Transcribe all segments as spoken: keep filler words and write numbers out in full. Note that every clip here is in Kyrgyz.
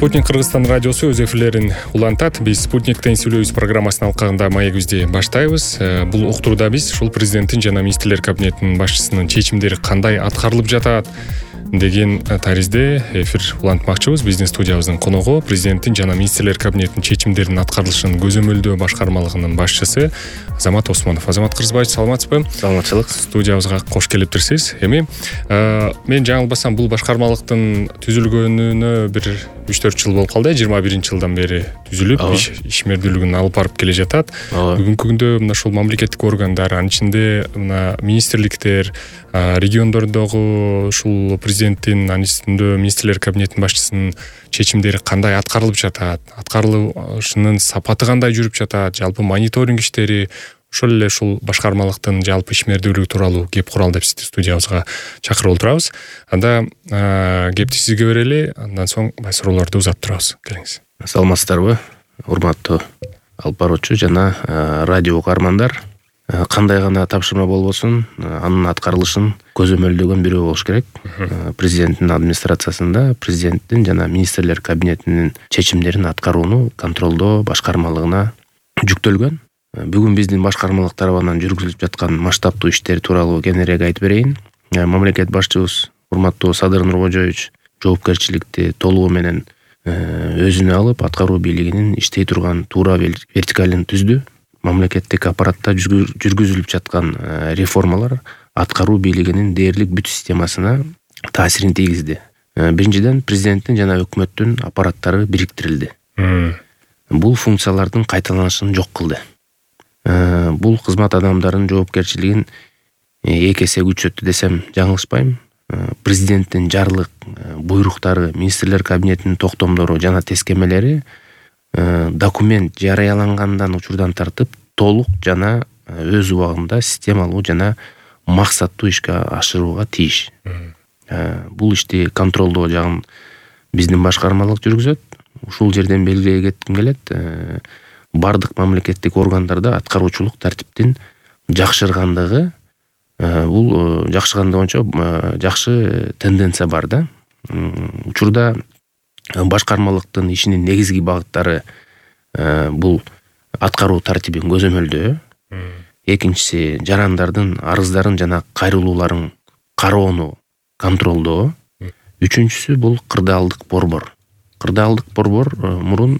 Спутник Кыргызстан радиосу өз эфирлерин улантат. Биз Спутниктен сүйлөйбүз программасынын алкагында маегибизди баштайбыз. Бул уктурууда биз ушул президенттин жана министрлер кабинетинин башчысынын чечимдери кандай аткарылып жатат деген таризде эфир улантмакчыбыз. Биздин студиябыздын коногу президенттин жана министрлер кабинетинин чечимдеринин аткарылышын көзөмөлдөө башкармалыгынын башчысы Азамат Осмонов. Азамат Кыргызбаевич, саламатсызбы? Саламатчылык. Студиябызга кош келиптирсиз. Эми мен жаңылбасам бул башкармалыктын түзүлгөнүнө бир үч төрт жыл болуп калды. жыйырма биринчи жылдан бери түзүлүп, ишмердүүлүгүн алып барып келе жатат. Бүгүнкү күндө мына ушул мамлекеттик органдар, анын ичинде мына министрликтер, региондордогу ушул президенттин, анын үстүндө министрлер кабинетинин башчысынын чечимдери кандай аткарылып жатат, аткарылышынын сапаты кандай жүрүп жатат, жалпы мониторинг иштери, ошол эле ушул башкармалыктын жалпы ишмердүүлүгү тууралуу кеп куралы деп сизди студиябызга чакырып отурабыз. Анда кепти сизге берели, андан соң бай суроолорду узатып турабыз. Келиңиз. Саламатсыздарбы, урматтуу алып баруучу жана радио угармандар. Кандай гана тапшырма болбосун, анын аткарылышын көзөмөлдөгөн бирөө болуш керек. Президенттин администрациясында президенттин жана министрлер кабинетинин чечимдерин аткарууну контролдоо башкармалыгына жүктөлгөн. Бүгүн биздин башкармалык тарабынан жүргүзүлүп жаткан масштабтуу иштер тууралуу кеңирээк айтып берейин. Мамлекет башчыбыз урматтуу Садыр Нуркожоевич жоопкерчиликти толугу менен өзүнө алып, аткаруу бийлигинин иштей турган туура вертикалын түздү. Мамлекеттик аппаратта жүргүзүлүп жаткан реформалар аткаруу бийлигинин дээрлик бүт системасына таасирин тийгизди. Биринчиден, президенттин жана өкмөттүн аппараттары бириктирилди. Бул функциялардын кайталанышын жок кылды. Бул кызмат адамдарынын жоопкерчилигин эки эсе күчөттү десем жаңылышпайм. Президенттин жарлык, буйруктары, министрлер кабинетинин токтомдору жана тескемелери документ жарыялангандан учурдан тартып толук жана өз убагында системалуу жана максаттуу ишке ашырууга тийиш. Бул ишти контролдоо жагын биздин башкармалык жүргүзөт. Ушул жерден белгилей кетким келет. Бардык мамлекеттик органдарда аткаруучулук тартиптин жакшыргандыгы, бул жакшыргандыгы боюнча жакшы тенденция бар да. Учурда башкармалыктын ишинин негизги багыттары бул аткаруу тартибин көзөмөлдөө. Экинчиси, жарандардын арыздарын жана кайрылууларын кароону контролдоо. Үчүнчүсү бул кырдаалдык борбор. Кырдаалдык борбор мурун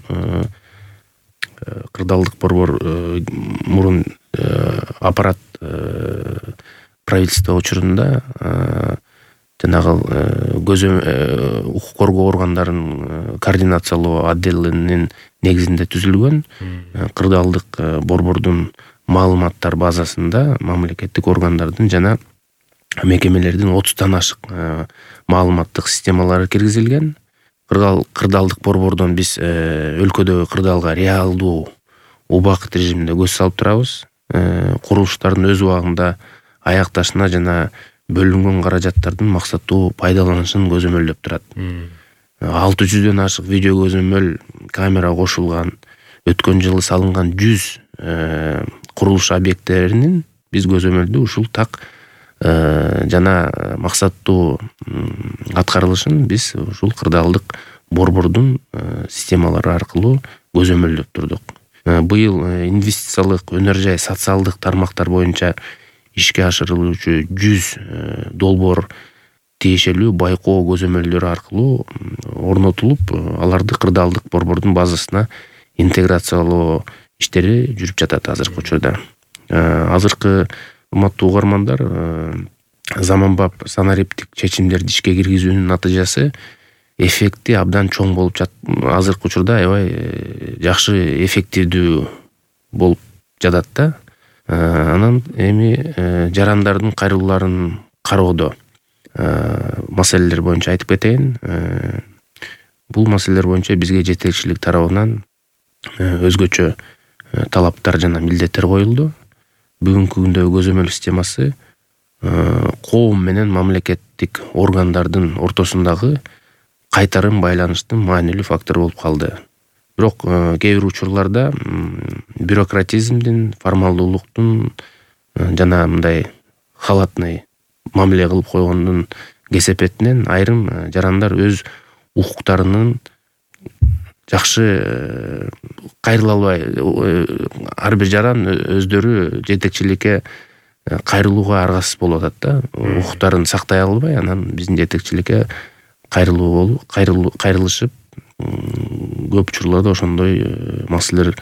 кырдаалдык борбор мурун аппарат правительство учурунда жанагы укук коргоо органдарын координациялоо отделинин негизинде түзүлгөн. Кырдаалдык борбордун маалыматтар базасында мамлекеттик органдардын жана мекемелердин отуздан ашык маалыматтык системалары киргизилген. Кырдаалдык борбордон биз өлкөдөгү кырдаалга реалдуу убакыт режиминде көз салып турабыз. Курулуштардын өз убагында аякташына жана бөлүнгөн каражаттардын максаттуу пайдаланышын көзөмөлдөп турат. алты жүздөн ашык видео көзөмөл камера кошулган, өткөн жылы салынган жүз курулуш объекттеринин биз көзөмөлдүү ушул так жана максаттуу аткарылышын биз ушул кырдаалдык борбордун системалары аркылуу көзөмөлдөп турдук. Быйыл инвестициялык, өнөр жай, социалдык тармактар боюнча ишке ашырылуучу жүз долбоор тиешелүү байкоо көзөмөлдөрү аркылуу орнотулуп, аларды кырдаалдык борбордун базасына интеграциялоо иштери жүрүп жатат азыркы учурда. Азыркы урматтуу угармандар, заманбап санариптик чечимдерди ишке киргизүүнүн натыйжасы эффекти абдан чоң болуп жат. Азыркы учурда аябай жакшы эффективдүү болуп жатат да. Анан эми жарандардын кайрылууларын кароодо маселелер боюнча айтып кетейин. Бул маселелер боюнча бизге жетекчилик тарабынан өзгөчө талаптар жана милдеттер коюлду. Бүгүнкү күндөгү көзөмөл системасы коом менен мамлекеттик органдардын ортосундагы кайтарым байланыштын маанилүү фактору болуп калды. Бирок кээ бир учурларда бюрократизмдин, формалдуулуктун жана мындай халатный мамиле кылып койгондун кесепетинен айрым жарандар өз укуктарынын жакшы кайрыла албай, ар бир жаран өздөрү жетекчиликке кайрылууга аргасыз болуп атат да. Укуктарын сактай албай, анан биздин жетекчиликке кайрылуу болуп, кайрылышып, көп учурларда ошондой маселелер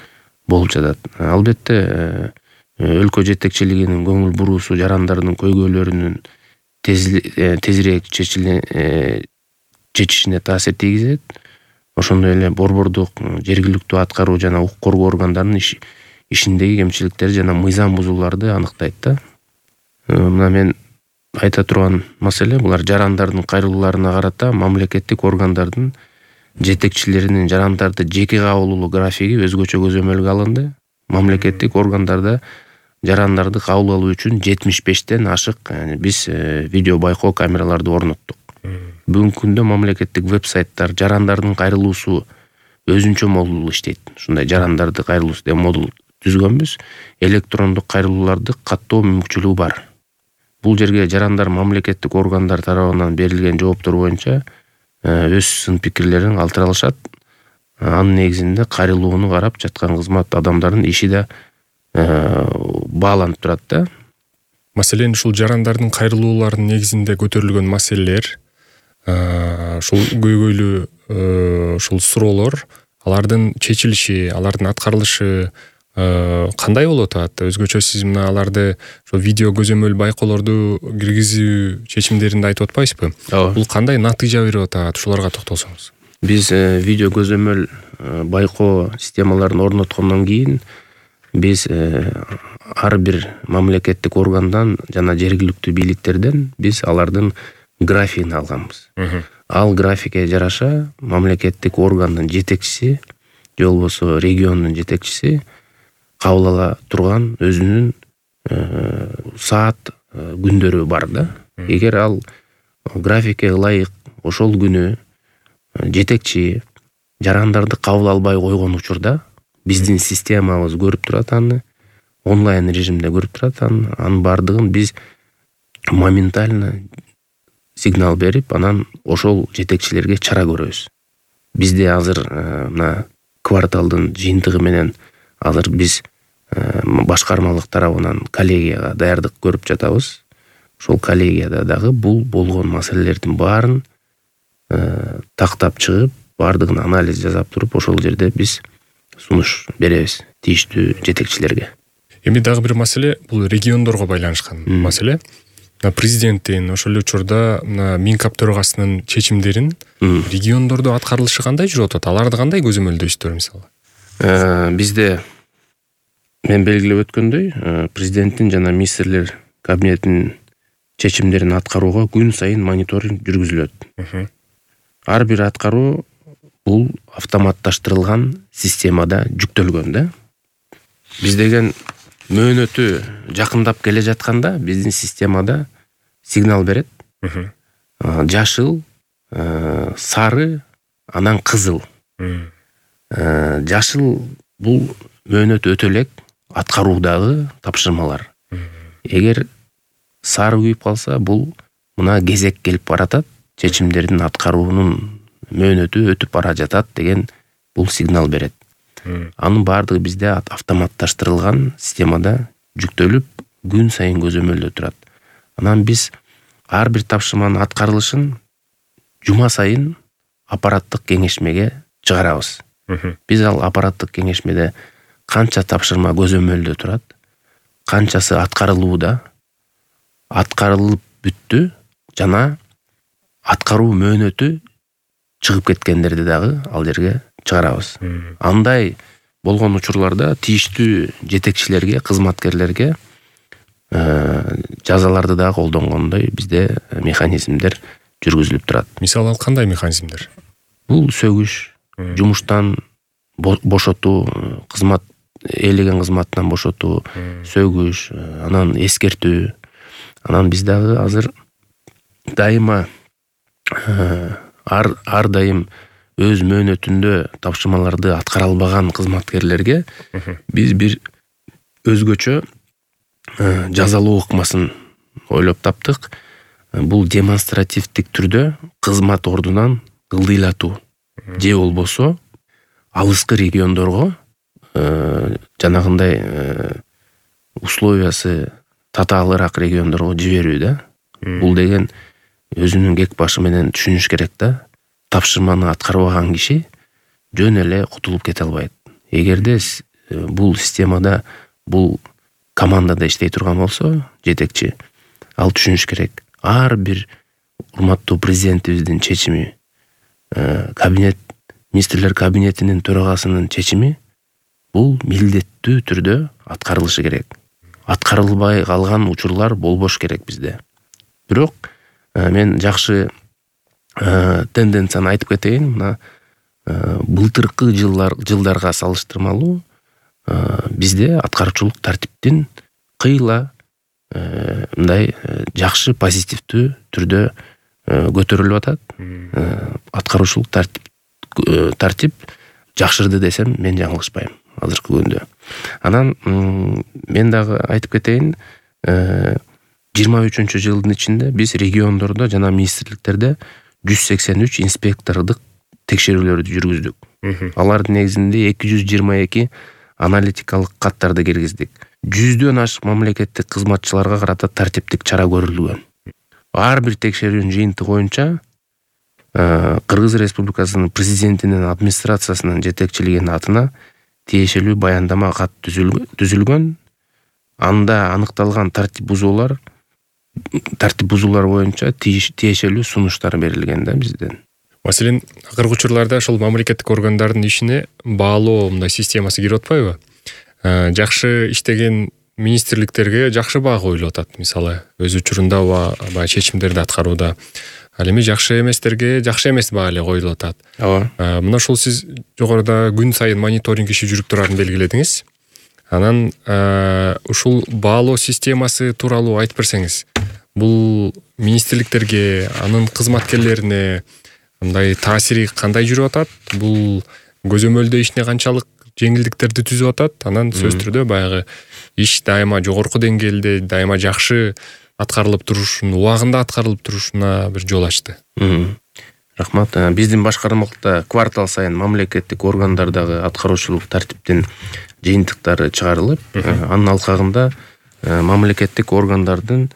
болуп жатат. Албетте, өлкө жетекчилигинин көңүл буруусу жарандардын көйгөйлөрүнүн тезирээк чечишине таасир тийгизет. Ошондой эле борбордук, жергиликтүү аткаруу жана укук коргоо органдарынын ишиндеги кемчиликтер жана мыйзам бузууларды аныктайт да. Мына мен айта турган маселе булар жарандардын кайрылууларына карата мамлекеттик органдардын жетекчилеринин жарандарды жеке кабыл алуу графиги өзгөчө көзөмөлгө алынды. Мамлекеттик органдарда жарандарды кабыл алуу үчүн жетимиш бештен ашык биз видео байкоо камераларды орноттук. Бүгүнкү күндө мамлекеттик веб-сайттар жарандардын кайрылуусу өзүнчө модул иштейт. Ушундай жарандарды кайрылуусу деген модул түзгөнбүз. Электрондук кайрылууларды каттоо мүмкүнчүлүгү бар. Бул жерге жарандар мамлекеттик органдар тарабынан берилген жооптор боюнча өз сын пикирлерин калтыра алышат. Анын негизинде кайрылууну карап жаткан кызмат адамдарынын иши да бааланып турат да. Маселен, ушул жарандардын кайрылууларынын негизинде көтөрүлгөн маселелер, ушул көйгөйлүү ушул суроолор, алардын чечилиши, алардын аткарылышы кандай болуп атат? Өзгөчө сиз мына аларды ошо видео көзөмөл байкоолорду киргизүү чечимдеринде айтып атпайсызбы? Бул кандай натыйжа берип атат? Ушуларга токтолсоңуз. Биз видео көзөмөл байкоо системаларын орноткондон кийин биз ар бир мамлекеттик органдан жана жергиликтүү бийликтерден биз алардын графигин алганбыз. Ал графикке жараша мамлекеттик органдын жетекчиси же болбосо региондун жетекчиси кабыл ала турган өзүнүн саат күндөрү бар да. Эгер ал графикке ылайык ошол күнү жетекчи жарандарды кабыл албай койгон учурда биздин системабыз көрүп турат, аны онлайн режимде көрүп турат. Анын бардыгын биз моментально сигнал берип, анан ошол жетекчилерге чара көрөбүз. Бизде азыр мына кварталдын жыйынтыгы менен азыр биз башкармалык тарабынан коллегияга даярдык көрүп жатабыз. Ошол коллегияда дагы бул болгон маселелердин баарын тактап чыгып, бардыгын анализ жасап туруп, ошол жерде биз сунуш беребиз тийиштүү жетекчилерге. Эми дагы бир маселе, бул региондорго байланышкан маселе. Президенттин ошол учурда мына Минкап төрагасынын чечимдерин региондордо аткарылышы кандай жүрүп атат? Аларды кандай көзөмөлдөйсүздөр мисалы? Бизде мен белгилеп өткөндөй, президенттин жана министрлер кабинетинин чечимдерин аткарууга күн сайын мониторинг жүргүзүлөт. Ар бир аткаруу бул автоматташтырылган системада жүктөлгөн да. Биз деген мөөнөтү жакындап келе жатканда биздин системада сигнал берет. Жашыл, сары, анан кызыл. Жашыл бул мөөнөт өтө элек аткаруудагы тапшырмалар. Эгер сары күйүп калса, бул мына кезек келип баратат, чечимдердин аткаруунун мөөнөтү өтүп бара жатат деген бул сигнал берет. Анын баардыгы бизде автоматташтырылган системада жүктөлүп, күн сайын көзөмөлдө турат. Анан биз ар бир тапшырманын аткарылышын жума сайын аппараттык кеңешмеге чыгарабыз. Биз ал аппараттык кеңешмеде канча тапшырма көзөмөлдө турат, канчасы аткарылууда, аткарылып бүттү жана аткаруу мөөнөтү чыгып кеткендерди дагы ал жерге чыгарабыз. Андай болгон учурларда тийиштүү жетекчилерге, кызматкерлерге жазаларды да колдонгондой бизде механизмдер жүргүзүлүп турат. Мисалы кандай механизмдер? Бул сөгүш, жумуштан бошотуу, кызмат ээлеген кызматтан бошотуу, сөгүш, анан эскертүү. Анан биз дагы азыр дайыма ар ар дайым өз мөөнөтүндө тапшырмаларды аткара албаган кызматкерлерге биз бир өзгөчө жазалоо ыкмасын ойлоп таптык. Бул демонстративдик түрдө кызмат ордунан ылдыйлатуу же болбосо алыскы региондорго жанагындай условиясы татаалыраак региондорго жиберүү да. Бул деген өзүнүн кек башы менен түшүнүш керек да. Тапшырманы аткарбаган киши жөн эле кутулуп кете албайт. Эгерде бул системада, бул командада иштей турган болсо, жетекчи, ал түшүнүш керек. Ар бир урматтуу президентибиздин чечими, кабинет, министрлер кабинетинин төрагасынын чечими бул милдеттүү түрдө аткарылышы керек. Аткарылбай калган учурлар болбош керек бизде. Бирок мен жакшы тенденцияны айтып кетейин. Мына былтыркы жылдар жылдарга салыштырмалуу бизде аткарчылык тартиптин кыйла мындай жакшы позитивдүү түрдө көтөрүлүп атат. Аткаручулук тартип тартип жакшырды десем мен жаңылышпайм азыркы күндө. Анан мен дагы айтып кетейин, жыйырма үчүнчү жылдын ичинде биз региондордо жана министрликтерде жүз сексен үч инспектордук текшерүүлөрдү жүргүздүк. Алардын негизинде эки жүз жыйырма эки аналитикалык каттарды киргиздик. жүздөн ашык мамлекеттик кызматчыларга карата тартиптик чара көрүлгөн. Ар бир текшерүүнүн жыйынтыгы боюнча Кыргыз Республикасынын президентинин администрациясынын жетекчилигинин атына тиешелүү баяндама кат түзүлгөн. Анда аныкталган тартип бузуулар тартип бузуулар боюнча тиешелүү сунуштар берилген да бизден. Маселен, акыркы учурларда ошол мамлекеттик органдардын ишине баалоо мындай системасы кирип атпайбы? Жакшы иштеген министрликтерге жакшы баа коюлуп атат, мисалы, өз учурунда баягы чечимдерди аткарууда. Ал эми жакшы эместерге жакшы эмес баа эле коюлуп атат. Ооба. Мына ошол сиз жогоруда күн сайын мониторинг иши жүрүп турарын белгиледиңиз. Анан ушул баалоо системасы тууралуу айтып берсеңиз, бул министрликтерге, анын кызматкерлерине мындай таасири кандай жүрүп атат? Бул көзөмөлдөө ишине канчалык жеңилдиктерди түзүп атат? Анан сөз түрдө баягы иш дайыма жогорку деңгээлде, дайыма жакшы аткарылып турушун, убагында аткарылып турушуна бир жол ачты. Рахмат. Биздин башкармалыкта квартал сайын мамлекеттик органдардагы аткаруучулук тартиптин жыйынтыктары чыгарылып, анын алкагында мамлекеттик органдардын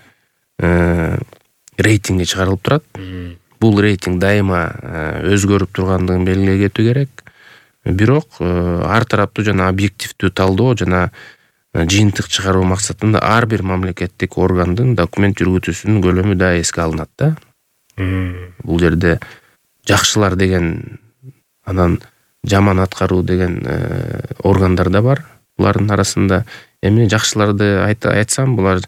рейтинги чыгарылып турат. Бул рейтинг дайыма өзгөрүп тургандыгын белгилей кетүү керек. Бирок ар тараптуу жана объективдүү талдоо жана жыйынтык чыгаруу максатында ар бир мамлекеттик органдын документ жүргүзүүсүнүн көлөмү да эске алынат да. Бул жерде жакшылар деген, анан жаман аткаруу деген органдар да бар. Булардын арасында эми жакшыларды айтсам, булар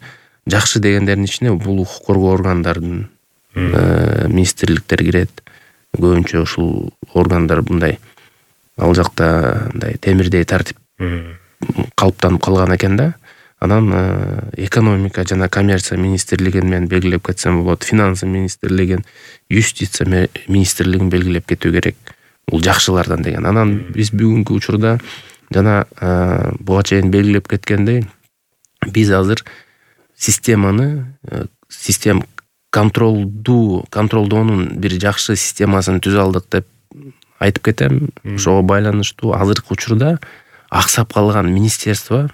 жакшы дегендердин ичине бул укук коргоо органдардын министрликтер кирет. Көбүнчө ушул органдар мындай ал жакта мындай темирдей тартип калыптанып калган экен да. Анан экономика жана коммерция министрлигин мен белгилеп кетсем болот, финансы министрлигин, юстиция министрлигин белгилеп кетүү керек. Бул жакшылардан деген. Анан биз бүгүнкү учурда жана буга чейин белгилеп кеткендей, биз азыр системаны, систем контролдуу, контролдоонун бир жакшы системасын түзө алдык деп айтып кетем. Ошого байланыштуу азыркы учурда аксап калган министерство,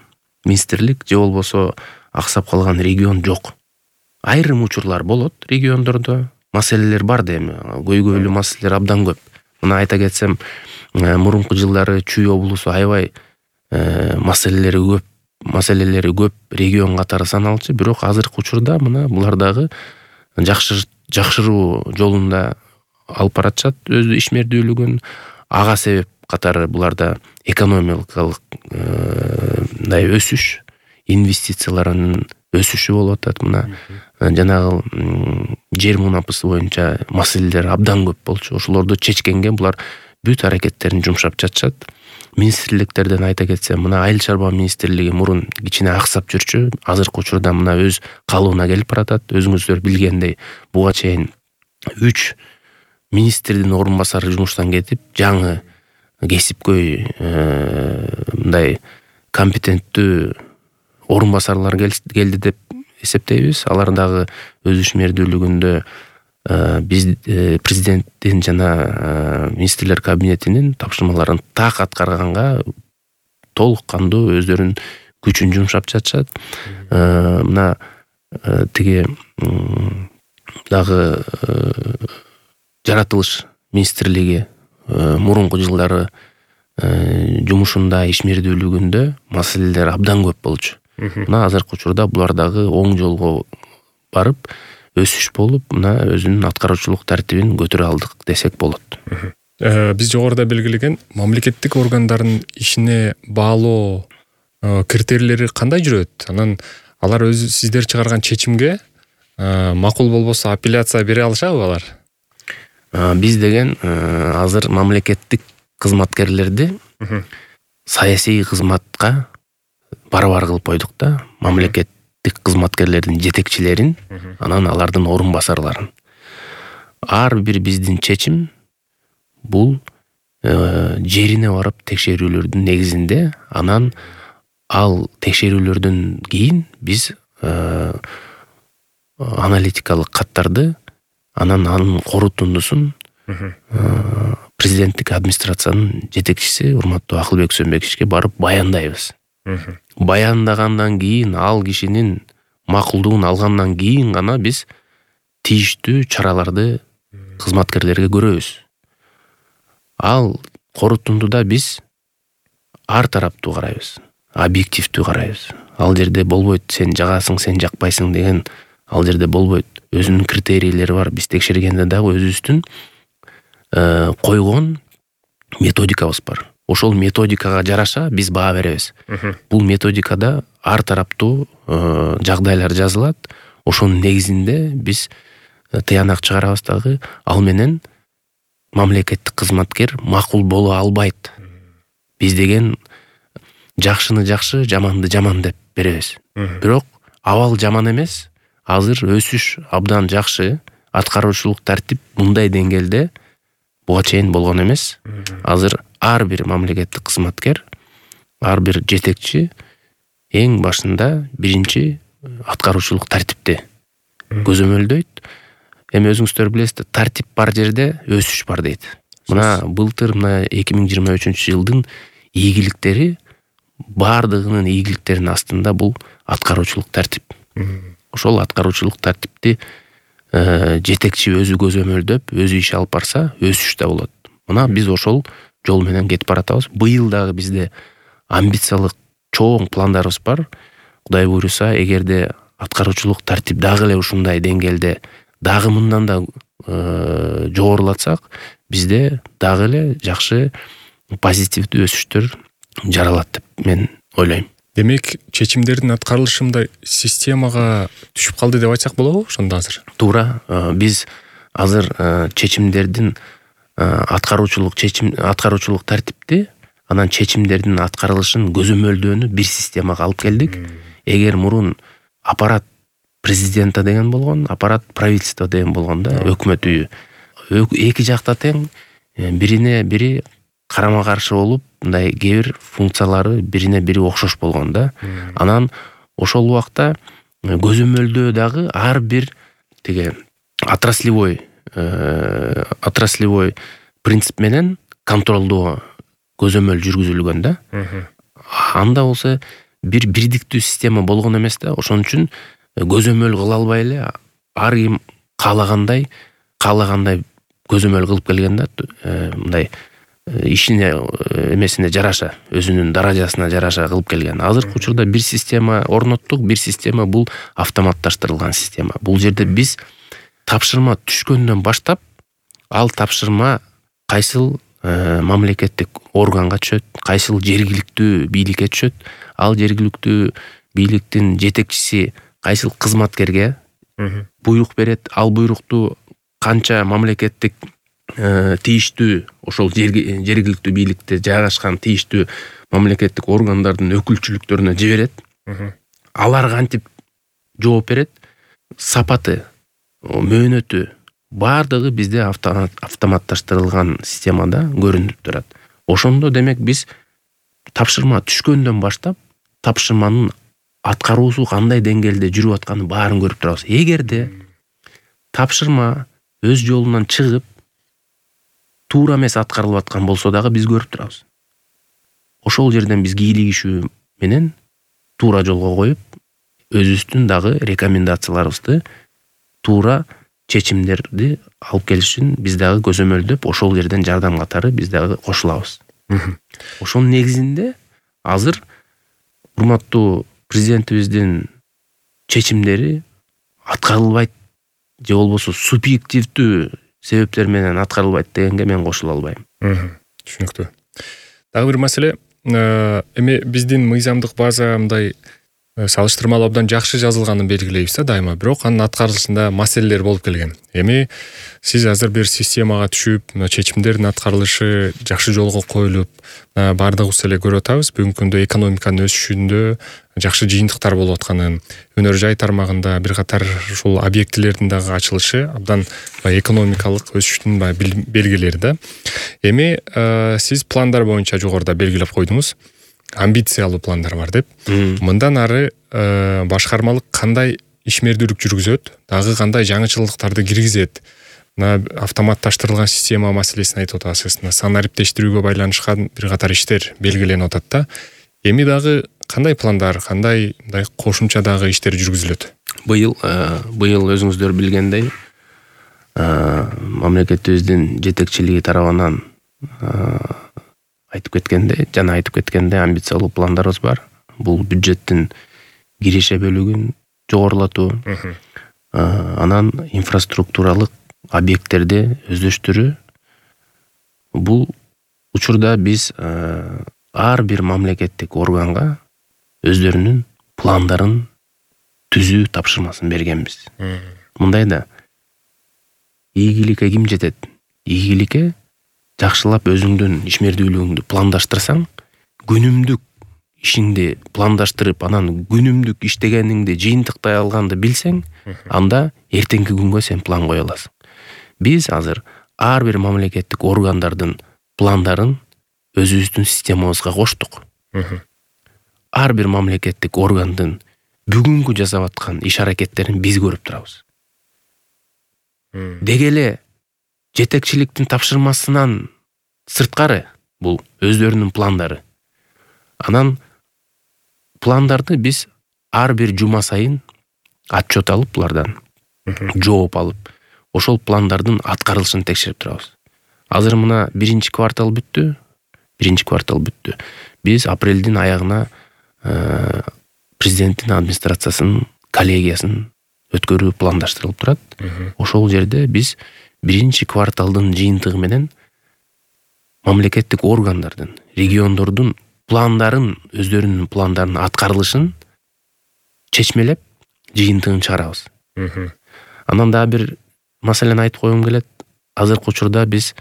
министрлик же болбосо аксап калган регион жок. Айрым учурлар болот региондордо, маселелер бар да эми, көйгөйлүү маселелер абдан көп. Мына айта кетсем, мурунку жылдары Чүй облусу аябай маселелери көп, маселелери көп регион катары саналчу, бирок азыркы учурда мына булар дагы жакшыруу жолунда алып баратышат өз ишмердүүлүгүн. Ага себеп катары буларда экономикалык мындай өсүш, инвестициялардын өсүшү болуп атат. Мына жанагы жер мунапысы боюнча маселелер абдан көп болчу. Ошолорду чечкенге булар бүт аракеттерин жумшап жатышат. Министрликтерден айта кетсем, мына Айыл чарба министрлиги мурун кичине аксап жүрчү, азыркы учурда мына өз калыбына келип баратат. Өзүңүздөр билгендей, буга чейин үч министрдин орун басары жумуштан кетип, жаңы кесипкөй мындай компетенттүү орун басарлар келди деп эсептейбиз. Алар дагы өз ишмердүүлүгүндө биз президенттин жана министрлер кабинетинин тапшырмаларын так аткарганга толук кандуу өздөрүнүн күчүн жумшап жатышат. Мына тиги дагы жаратылыш министрлиги мурунку жылдары жумушунда, ишмердүүлүгүндө маселелер абдан көп болчу. Мына азыркы учурда булар дагы оң жолго барып, өсүш болуп, мына өзүнүн аткаруучулук тартибин көтөрө алдык десек болот. Биз жогоруда белгилеген мамлекеттик органдардын ишине баалоо критерийлери кандай жүрөт? Анан алар өзү сиздер чыгарган чечимге макул болбосо апелляция бере алышабы алар? Биз деген азыр мамлекеттик кызматкерлерди саясий кызматка барабар кылып койдук да. Мамлекеттик кызматкерлердин жетекчилерин, анан алардын орун басарларын. Ар бир биздин чечим бул жерине барып текшерүүлөрдүн негизинде, анан ал текшерүүлөрдөн кийин биз аналитикалык каттарды, анан анын корутундусун президенттик администрациянын жетекчиси урматтуу Акылбек Сөнбековичке барып баяндайбыз. Баяндагандан кийин, ал кишинин макулдугун алгандан кийин гана биз тийиштүү чараларды кызматкерлерге көрөбүз. Ал корутундуда биз ар тараптуу карайбыз, объективдүү карайбыз. Ал жерде болбойт, сен жагасың, сен жакпайсың деген ал жерде болбойт. Өзүнүн критерийлери бар. Биз текшергенде дагы өзүбүздүн койгон методикабыз бар. Ошол методикага жараша биз баа беребиз. Бул методикада ар тараптуу жагдайлар жазылат. Ошонун негизинде биз тыянак чыгарабыз дагы. Ал менен мамлекеттик кызматкер макул боло албайт. Биз деген жакшыны жакшы, жаманды жаман деп беребиз. Бирок абал жаман эмес. Азыр өсүш абдан жакшы. Аткаруучулук тартип мындай деңгээлде буга чейин болгон эмес. Азыр ар бир мамлекеттик кызматкер, ар бир жетекчи эң башында биринчи аткаруучулук тартипти көзөмөлдөйт. Эми өзүңүздөр билесиздер, тартип бар жерде өсүш бар дейт. Мына былтыр мына эки миң жыйырма үчүнчү жылдын ийгиликтери, бардыгынын ийгиликтеринин астында бул аткаруучулук тартип. Ошол аткаруучулук тартипти жетекчи өзү көзөмөлдөп, өзү иш алып барса, өсүш да болот. Мына биз ошол жол менен кетип баратабыз. Быйыл дагы бизде амбициялык чоң пландарыбыз бар. Кудай буйруса, эгерде аткаруучулук тартип дагы эле ушундай деңгээлде, дагы мындан да жогорулатсак, бизде дагы эле жакшы позитивдүү өсүштөр жаралат деп мен ойлойм. Демек, чечимдердин аткарылышында системага түшүп калды деп айтсак болобу ошондо азыр? Туура. Биз азыр чечимдердин аткаруучулук чечим аткаруучулук тартипти, анан чечимдердин аткарылышын көзөмөлдөөнү бир системага алып келдик. Эгер мурун аппарат президента деген болгон, аппарат правительство деген болгон да, өкмөт үйү. Эки жакта тең, бирине бири карама каршы болуп, мындай кээ бир функциялары бирине бири окшош болгон да. Анан ошол убакта көзөмөлдөө дагы ар бир тиги отраслевой отраслевой принцип менен контролдоо көзөмөл жүргүзүлгөн да. Анда болсо бир бирдиктүү система болгон эмес да. Ошон үчүн көзөмөл кыла албай эле ар ким каалагандай каалагандай көзөмөл кылып келген да. Мындай ишине эмесине жараша, өзүнүн даражасына жараша кылып келген. Азыркы учурда бир система орноттук, бир система бул автоматташтырылган система. Бул жерде биз тапшырма түшкөндөн баштап, ал тапшырма кайсыл мамлекеттик органга түшөт, кайсыл жергиликтүү бийликке түшөт, ал жергиликтүү бийликтин жетекчиси кайсыл кызматкерге буйрук берет, ал буйрукту канча мамлекеттик тийиштүү ошол жергиликтүү бийликте жайгашкан тийиштүү мамлекеттик органдардын өкүлчүлүктөрүнө жиберет. Алар кантип жооп берет, сапаты, мөөнөтү бардыгы бизде автоматташтырылган системада көрүнүп турат. Ошондо демек биз тапшырма түшкөндөн баштап тапшырманын аткаруусу кандай деңгээлде жүрүп атканын баарын көрүп турабыз. Эгерде тапшырма өз жолунан чыгып туура эмес аткарылып аткан болсо дагы биз көрүп турабыз. Ошол жерден биз кийлигишүү менен туура жолго коюп, өзүбүздүн дагы рекомендацияларыбызды туура чечимдерди алып келиш үчүн биз дагы көзөмөлдөп, ошол жерден жардам катары биз дагы кошулабыз. Ошонун негизинде азыр урматтуу президентибиздин чечимдери аткарылбайт же болбосо субъективдүү себептер менен аткарылбайт дегенге мен кошула албайм. Түшүнүктүү. Дагы бир маселе, эми биздин мыйзамдык база мындай салыштырмалуу абдан жакшы жазылганын белгилейбиз да дайыма, бирок анын аткарылышында маселелер болуп келген. Эми сиз азыр бир системага түшүп, чечимдердин аткарылышы жакшы жолго коюлуп, баардыгыбыз эле көрүп атабыз. Бүгүнкү күндө экономиканын өсүшүндө жакшы жыйынтыктар болуп атканын, өнөр жай тармагында бир катар ушул объектилердин дагы ачылышы абдан экономикалык өсүштүн белгилери да. Эми сиз пландар боюнча жогоруда белгилеп койдуңуз. Амбициялуу пландар бар деп. Мындан ары башкармалык кандай ишмердүүлүк жүргүзөт, дагы кандай жаңычылыктарды киргизет? Мына автоматташтырылган система маселесин айтып атасыз. Санариптештирүүгө байланышкан бир катар иштер белгиленип атат да. Эми дагы кандай пландар, кандай мындай кошумча дагы иштер жүргүзүлөт? Быйыл быйыл өзүңүздөр билгендей, мамлекетибиздин жетекчилиги тарабынан айтып кеткенде, жана айтып кеткенде амбициялуу пландарыбыз бар. Бул бюджеттин киреше бөлүгүн жогорулатуу, анан инфраструктуралык объекттерди өздөштүрүү. Бул учурда биз ар бир мамлекеттик органга өздөрүнүн пландарын түзүү тапшырмасын бергенбиз. Мындай да, ийгиликке ким жетет? Ийгиликке жакшылап өзүңдүн ишмердүүлүгүңдү пландаштырсаң, күнүмдүк ишиңди пландаштырып, анан күнүмдүк иштегениңди жыйынтыктай алганды билсең, анда эртеңки күнгө сен план кое аласың. Биз азыр ар бир мамлекеттик органдардын пландарын өзүбүздүн системабызга коштук. Ар бир мамлекеттик органдын бүгүнкү жасап аткан иш аракеттерин биз көрүп турабыз. Деги эле жетекчиликтин тапшырмасынан сырткары бул өздөрүнүн пландары. Анан пландарды биз ар бир жума сайын отчет алып, булардан жооп алып, ошол пландардын аткарылышын текшерип турабыз. Азыр мына биринчи квартал бүттү. Биринчи квартал бүттү. Биз апрелдин аягына президенттин администрациясынын коллегиясын өткөрүү пландаштырылып турат. Ошол жерде биз биринчи кварталдын жыйынтыгы менен мамлекеттик органдардын, региондордун пландарын, өздөрүнүн пландарын аткарылышын чечмелеп, жыйынтыгын чыгарабыз. Анан дагы бир маселени айтып койгум келет. Азыркы учурда биз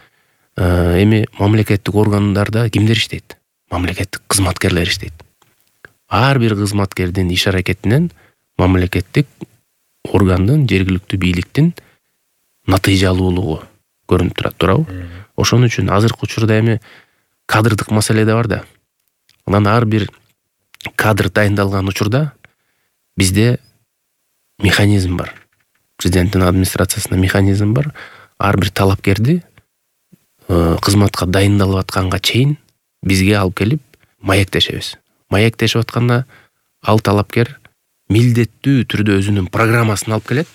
эми мамлекеттик органдарда кимдер иштейт? Мамлекеттик кызматкерлер иштейт. Ар бир кызматкердин иш аракетинен мамлекеттик органдын, жергиликтүү бийликтин натыйжалуулугу көрүнүп турат, туурабы? Ошон үчүн азыркы учурда эми кадрдык маселе да бар да. Анан ар бир кадр дайындалган учурда бизде механизм бар. Президенттин администрациясында механизм бар. Ар бир талапкерди кызматка дайындалып атканга чейин бизге алып келип маектешебиз. Маектешип атканда ал талапкер милдеттүү түрдө өзүнүн программасын алып келет,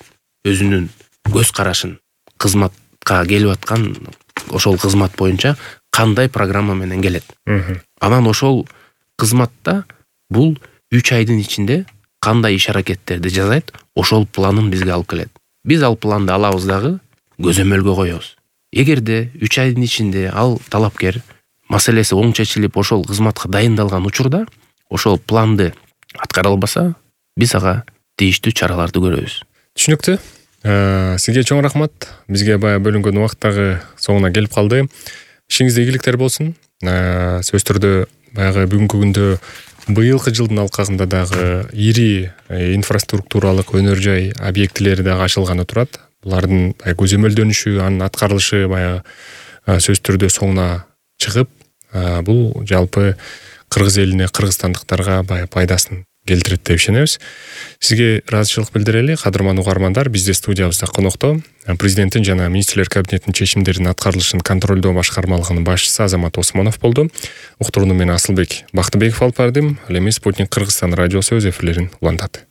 өзүнүн көз карашын, кызматка келип аткан ошол кызмат боюнча кандай программа менен келет. Анан ошол кызматта бул үч айдын ичинде кандай иш аракеттерди жасайт, ошол планын бизге алып келет. Биз ал планды алабыз дагы көзөмөлгө коебуз. Эгерде үч айдын ичинде ал талапкер маселеси оң чечилип, ошол кызматка дайындалган учурда ошол планды аткара албаса, биз ага тийиштүү чараларды көрөбүз. Түшүнүктүү. Сизге чоң рахмат. Бизге баягы бөлүнгөн убакыт дагы соңуна келип калды. Ишиңизде ийгиликтер болсун. Сөзсүз түрдө баягы бүгүнкү күндө быйылкы жылдын алкагында дагы ири инфраструктуралык өнөр жай объектилери дагы ачылганы турат. Булардын көзөмөлдөнүшү, анын аткарылышы баягы сөзсүз түрдө соңуна чыгып, бул жалпы кыргыз элине, кыргызстандыктарга баягы пайдасын келтирет деп ишенебиз. Сизге ыраазычылык билдирели. Кадырман угармандар, бизде студиябызда конокто президенттин жана министрлер кабинетинин чечимдеринин аткарылышын контролдоо башкармалыгынын башчысы Азамат Осмонов болду. Уктурууну мен Асылбек Бактыбеков алып бардым. Ал эми Спутник Кыргызстан радиосу өз эфирлерин улантат.